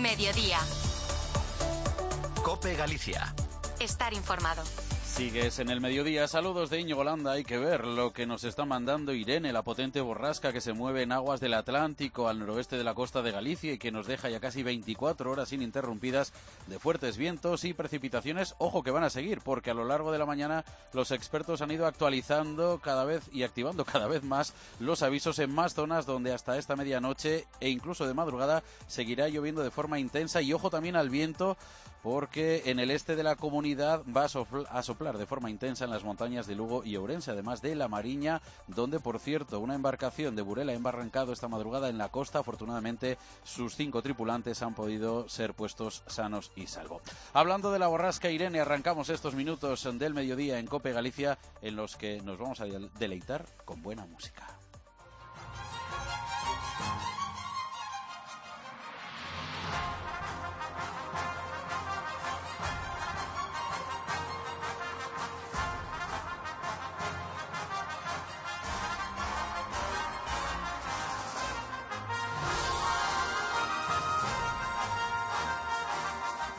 Mediodía. COPE Galicia. Estar informado. Sigues en el mediodía. Saludos de Íñigo Landa. Hay que ver lo que nos está mandando Irene, la potente borrasca que se mueve en aguas del Atlántico al noroeste de la costa de Galicia y que nos deja ya casi 24 horas ininterrumpidas de fuertes vientos y precipitaciones. Ojo que van a seguir, porque a lo largo de la mañana los expertos han ido actualizando cada vez y activando cada vez más los avisos en más zonas donde hasta esta medianoche e incluso de madrugada seguirá lloviendo de forma intensa. Y ojo también al viento, porque en el este de la comunidad va a soplar de forma intensa en las montañas de Lugo y Ourense, además de La Mariña, donde, por cierto, una embarcación de Burela ha embarrancado esta madrugada en la costa. Afortunadamente, sus 5 tripulantes han podido ser puestos sanos y salvo. Hablando de la borrasca, Irene, arrancamos estos minutos del mediodía en COPE Galicia, en los que nos vamos a deleitar con buena música.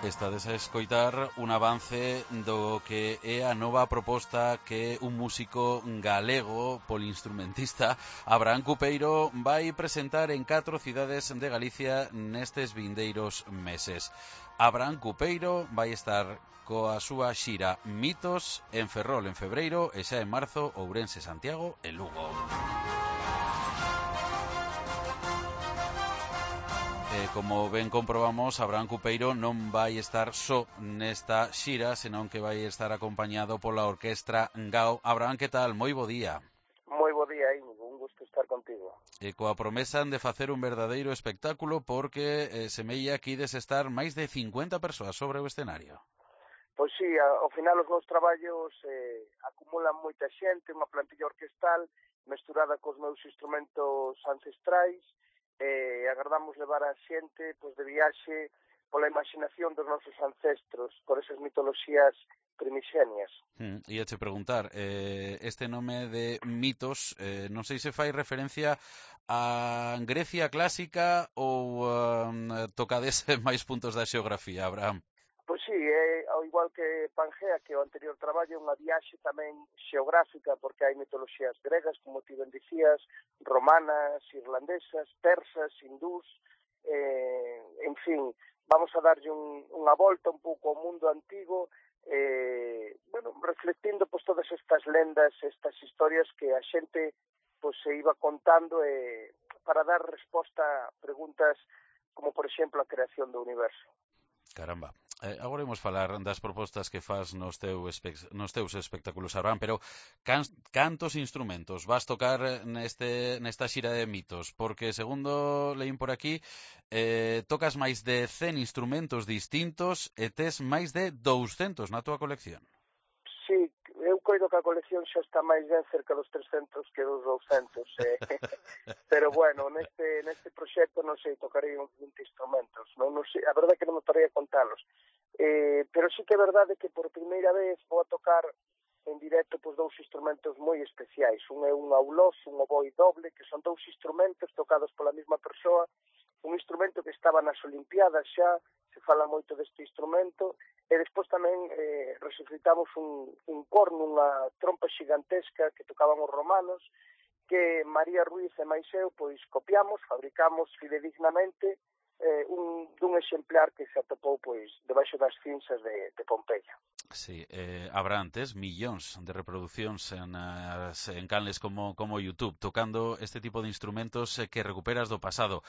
Estades a escoitar un avance do que é a nova proposta que un músico galego, polinstrumentista, Abraham Cupeiro, vai presentar en 4 cidades de Galicia nestes vindeiros meses. Abraham Cupeiro vai estar coa súa xira Mitos en Ferrol en febreiro e xa en marzo Ourense, Santiago e Lugo. Como ben comprobamos, Abraham Cupeiro non vai estar só nesta xira, senón que vai estar acompañado pola Orquestra Gao. Abraham, que tal? Moi bo día. Moi bo día, Íñigo, un gusto estar contigo. E coa promesa de facer un verdadeiro espectáculo, porque semella que ides estar máis de 50 persoas sobre o escenario. Pois sí, ao final os meus traballos acumulan moita xente, unha plantilla orquestal mesturada cos meus instrumentos ancestrais, e agardamos levar a xente pois, de viaxe pola imaginación dos nosos ancestros, por esas mitoloxías primixenias. Ia te preguntar, este nome de Mitos, non sei se fai referencia a Grecia clásica ou tocades máis puntos da xeografía, Abraham? Pois sí, ao igual que Pangea, que o anterior traballo é unha viaxe tamén xeográfica, porque hai mitoloxías gregas, como ti ben dicías, romanas, irlandesas, persas, hindús, en fin, vamos a darlle unha volta un pouco ao mundo antigo, reflectindo pues, todas estas lendas, estas historias que a xente pues, se iba contando para dar resposta a preguntas como, por exemplo, a creación do universo. Caramba. Agora imos falar das propostas que fas nos teus espectáculos, Abraham, pero cantos instrumentos vas tocar nesta xira de Mitos? Porque, segundo leín por aquí, tocas máis de 100 instrumentos distintos e tes máis de 200 na túa colección. Sí, eu coido que a colección xa está máis ben cerca dos 300 que dos 200, pero bueno, neste proxecto non sei, tocarei uns 20 instrumentos, non sei, a verdade é que non me parei a contalos, pero sí que é verdade que por primeira vez vou a tocar en directo pues, 2 instrumentos moi especiais, un é un aulós, un oboe doble, que son 2 instrumentos tocados pola mesma persoa, un instrumento que estaba nas Olimpiadas xa, se fala moito deste instrumento, e despois tamén resucitamos un corno, unha trompa xigantesca que tocaban os romanos, que María Ruiz e máis eu pois copiamos, fabricamos fidedignamente dun exemplar que se atopou pois debaixo das cinzas de Pompeia. Sí, Abraham, tes millóns de reproduccións en canles como YouTube, tocando este tipo de instrumentos que recuperas do pasado,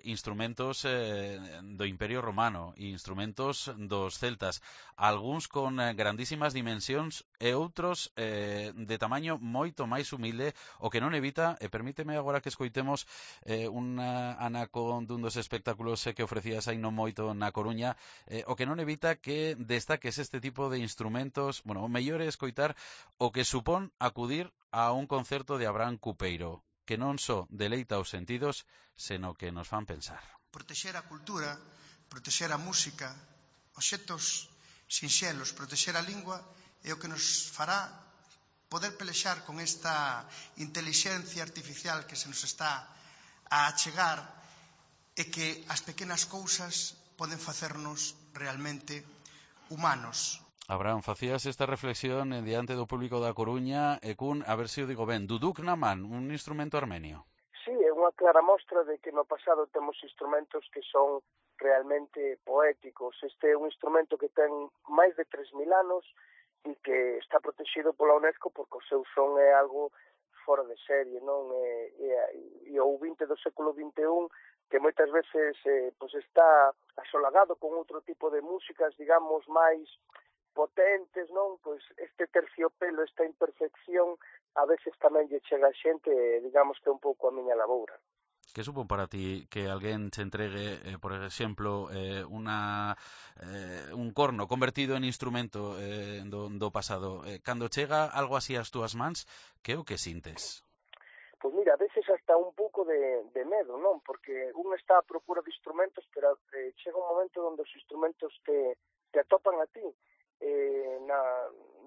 instrumentos do Imperio Romano, instrumentos dos celtas, algúns con grandísimas dimensións e outros de tamaño moito máis humilde, o que non evita, permíteme agora que escoitemos unha anaco dun dos espectáculos que ofrecías aí non moito na Coruña, o que non evita que destaques este tipo de instrumentos. Bueno, o mellor é escoitar o que supón acudir a un concerto de Abraham Cupeiro, que non só deleita os sentidos, seno que nos fan pensar. Protexer a cultura, protexer a música, obxectos sinxelos, protexer a lingua é o que nos fará poder pelexar con esta intelixencia artificial que se nos está a achegar e que as pequenas cousas poden facernos realmente humanos. Abraham, facías esta reflexión diante do público da Coruña e cun, a ver se o digo ben, duduk na man, un instrumento armenio. Sí, é unha clara mostra de que no pasado temos instrumentos que son realmente poéticos. Este é un instrumento que ten máis de 3.000 anos e que está protegido pola UNESCO porque o seu son é algo fora de serie, non? E o 20 do século XXI que moitas veces pues está asolagado con outro tipo de músicas, digamos, máis potentes, non? Pois este terciopelo, esta imperfección, a veces tamén lle chega a xente, digamos que é un pouco a miña laboura. Que supón para ti que alguén te entregue, por exemplo, un corno convertido en instrumento do pasado? Cando chega algo así ás túas mans, que é o que sintes? Pois mira, a veces hasta un pouco de medo, non? Porque un está a procura de instrumentos, pero chega un momento onde os instrumentos te atopan a ti.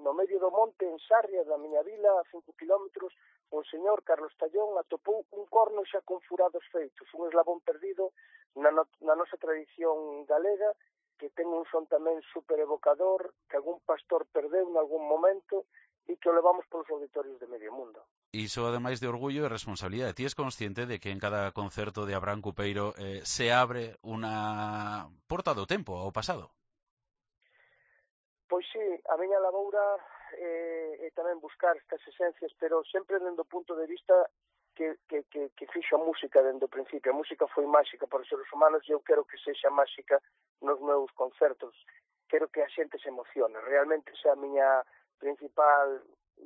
No medio do monte, en Sarria, da miña vila, a 5 kilómetros, o señor Carlos Tallón atopou un corno xa con furados feitos, un eslabón perdido na nosa tradición galega, que ten un son tamén super evocador, que algún pastor perdeu en algún momento e que o levamos polos auditorios de medio mundo. Iso, ademais de orgullo e responsabilidade. Ti és consciente de que en cada concerto de Abraham Cupeiro se abre unha porta do tempo ao pasado? Pois sí, a miña laboura é tamén buscar estas esencias, pero sempre dende o punto de vista que fixo a música dende o principio. A música foi máxica para os seres humanos e eu quero que sexa máxica nos meus concertos. Quero que a xente se emocione. Realmente esa é a miña principal,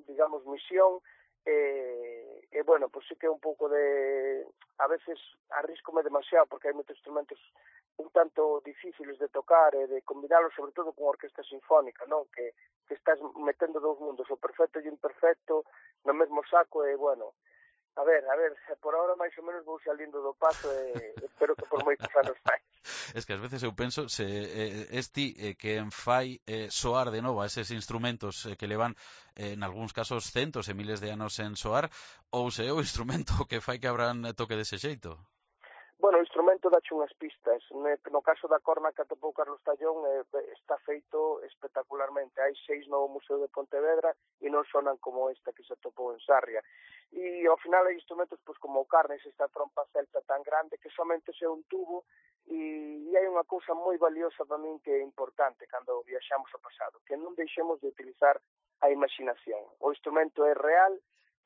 digamos, misión. Bueno, pois sí que é un pouco de... A veces arriscome demasiado porque hai moitos instrumentos un tanto difíciles de tocar e de combinarlos, sobre todo con orquesta sinfónica, non? Que estás metendo dous mundos, o perfecto e o imperfecto, no mesmo saco e, bueno, a ver, por ahora máis ou menos vou salindo do paso e espero que por moitos anos máis. Es que ás veces eu penso se ti que fai soar de novo a eses instrumentos que levan en algúns casos centos e miles de anos en soar, ou se é o instrumento que fai que Abraham toque dese xeito? Bueno, o instrumento dache unhas pistas. No caso da corna que atopou Carlos Tallón está feito espectacularmente. Hai 6 no Museo de Pontevedra e non sonan como esta que se atopou en Sarria. E ao final hai instrumentos pois como o carnes, esta trompa celta tan grande que somente é un tubo e hai unha cousa moi valiosa para min que é importante cando viaxamos ao pasado, que non deixemos de utilizar a imaginación. O instrumento é real,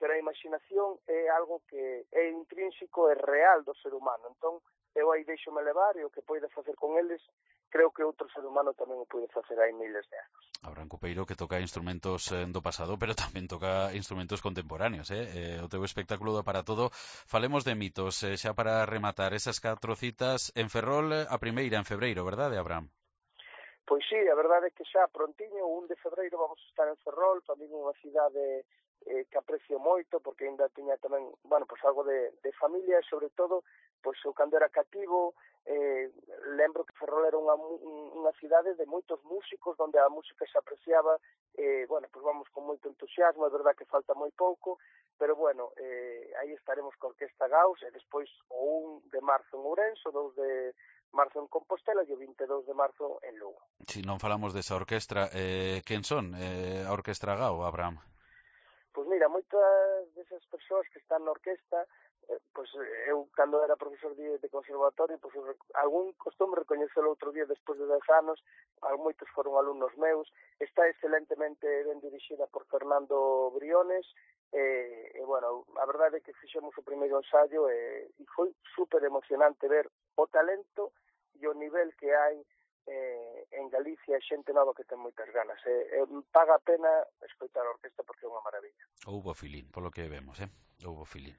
pero a imaginación é algo que é intrínseco e real do ser humano. Entón, eu aí deixome levar e o que poida facer con eles, creo que outro ser humano tamén o pode facer hai miles de anos. Abraham Cupeiro que toca instrumentos do pasado, pero tamén toca instrumentos contemporáneos, o teu espectáculo dá para todo. Falemos de mitos, xa para rematar esas 4 citas en Ferrol, a primeira en febreiro, verdade, Abraham? Pois sí, a verdade é que xa prontiño, o 1 de febreiro vamos a estar en Ferrol, tamén unha cidade que aprecio moito, porque ainda tiña tamén, bueno, pois algo de familia e sobre todo, pois eu cando era cativo, lembro que Ferrol era unha cidade de moitos músicos, onde a música se apreciaba, bueno, pois vamos con moito entusiasmo, é verdad que falta moi pouco, pero bueno, aí estaremos con Orquesta Gauss, e despois o 1 de marzo en Ourense, o 2 de marzo en Compostela e o 22 de marzo en Lugo. Si non falamos desa orquestra, quen son a Orquestra Gau, Abraham? Pois mira, moitas desas persoas que están na orquesta, pois eu cando era profesor de conservatorio, pois algún costume recoñecelo outro día despois de 10 anos, moitos foron alumnos meus, está excelentemente ben dirixida por Fernando Briones, e bueno, a verdade é que fixemos o primeiro ensayo e foi super emocionante ver o talento e o nivel que hai en Galicia, xente nova que ten moitas ganas. Paga a pena escoitar a orquesta porque é unha maravilla. Houbo filín, polo que vemos, houbo filín.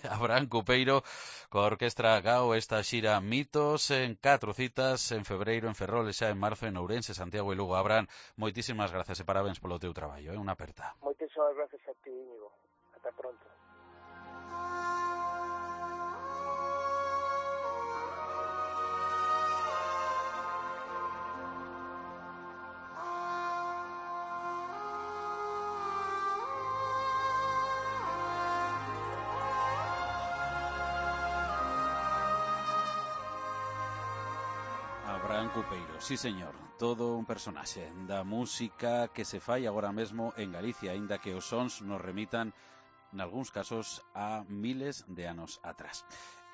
Abraham Cupeiro coa Orquestra Gau, esta xira Mitos en 4 citas en febreiro en Ferrol e xa en marzo en Ourense, Santiago e Lugo. Abraham, moitísimas gracias e parabéns polo teu traballo, unha aperta. Moitísimas gracias a ti, Íñigo. Ata pronto. Iván Cupeiro, sí señor, todo un personaxe da música que se fai agora mesmo en Galicia, aínda que os sons nos remitan nalgúns casos a miles de anos atrás.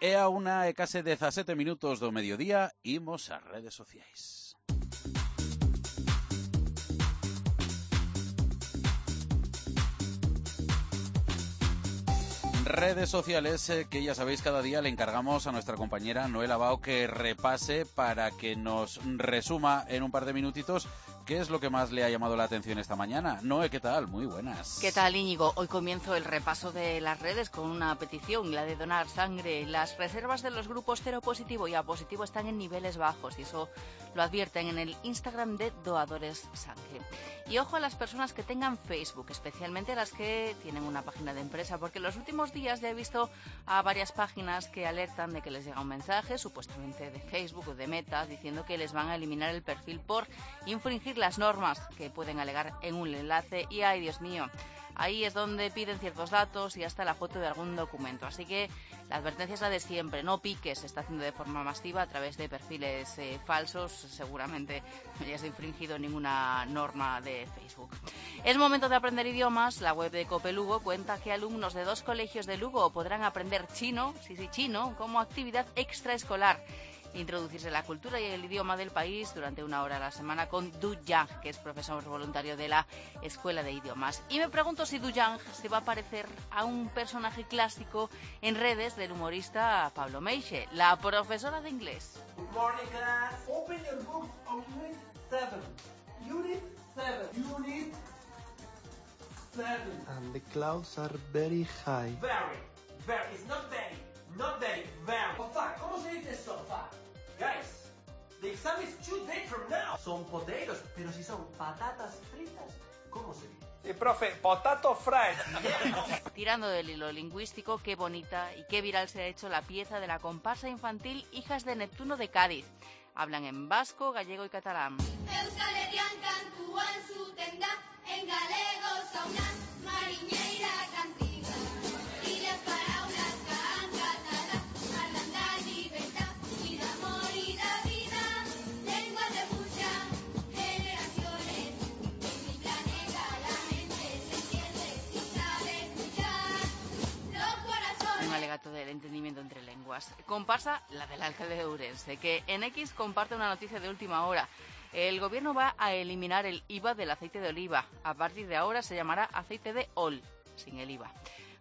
É a 1:17 minutos do mediodía, imos ás redes sociais. Redes sociales que ya sabéis cada día le encargamos a nuestra compañera Noela Bao que repase para que nos resuma en un par de minutitos qué es lo que más le ha llamado la atención esta mañana. Noé, ¿qué tal? Muy buenas. ¿Qué tal, Íñigo? Hoy comienzo el repaso de las redes con una petición, la de donar sangre. Las reservas de los grupos cero positivo y A positivo están en niveles bajos y eso lo advierten en el Instagram de Doadores Sangre. Y ojo a las personas que tengan Facebook, especialmente las que tienen una página de empresa, porque en los últimos días ya he visto a varias páginas que alertan de que les llega un mensaje, supuestamente de Facebook o de Meta, diciendo que les van a eliminar el perfil por infringir las normas que pueden alegar en un enlace y ¡ay, Dios mío! Ahí es donde piden ciertos datos y hasta la foto de algún documento. Así que la advertencia es la de siempre. No piques, se está haciendo de forma masiva a través de perfiles falsos. Seguramente no hayas infringido ninguna norma de Facebook. Es momento de aprender idiomas. La web de COPE Lugo cuenta que alumnos de 2 colegios de Lugo podrán aprender chino, chino, como actividad extraescolar. Introducirse en la cultura y el idioma del país durante 1 hora a la semana con Du Yang, que es profesor voluntario de la Escuela de Idiomas. Y me pregunto si Du Yang se va a parecer a un personaje clásico en redes del humorista Pablo Meixe, la profesora de inglés. Good morning, class. Open your books on Unit 7. Unit 7. Unit 7. And the clouds are very high. Very. It's not very. Not very. Very. Sofá. ¿Cómo se dice sofá? Guys, the exam is 2 days from now. Son potatoes, pero si son patatas fritas, ¿cómo se dice? Profe, potato fried. Tirando del hilo lingüístico, qué bonita y qué viral se ha hecho la pieza de la comparsa infantil Hijas de Neptuno de Cádiz. Hablan en vasco, gallego y catalán. Euskal Herrian kantuan zuten da, en galego zaunan, mariñeira cantiga. Y las paraulas can catalá, hablan da libertad, y de amor y de vida, lenguas de muchas generaciones. En mi planeta la mente se entiende y sabe escuchar los corazones. Un alegato del entendimiento entre lenguas. Comparsa la del alcalde de Ourense, que en X comparte una noticia de última hora. El gobierno va a eliminar el IVA del aceite de oliva. A partir de ahora se llamará aceite de ol, sin el IVA.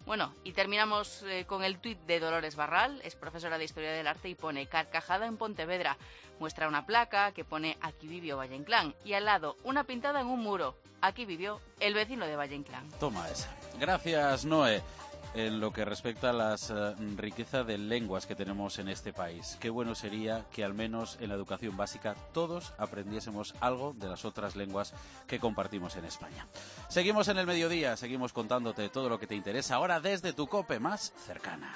Bueno, y terminamos con el tuit de Dolores Barral, es profesora de Historia del Arte y pone carcajada en Pontevedra. Muestra una placa que pone aquí vivió Valle Inclán y al lado una pintada en un muro. Aquí vivió el vecino de Valle Inclán. Toma esa. Gracias, Noé. En lo que respecta a la riqueza de lenguas que tenemos en este país, qué bueno sería que al menos en la educación básica todos aprendiésemos algo de las otras lenguas que compartimos en España. Seguimos en el mediodía, seguimos contándote todo lo que te interesa ahora desde tu COPE más cercana.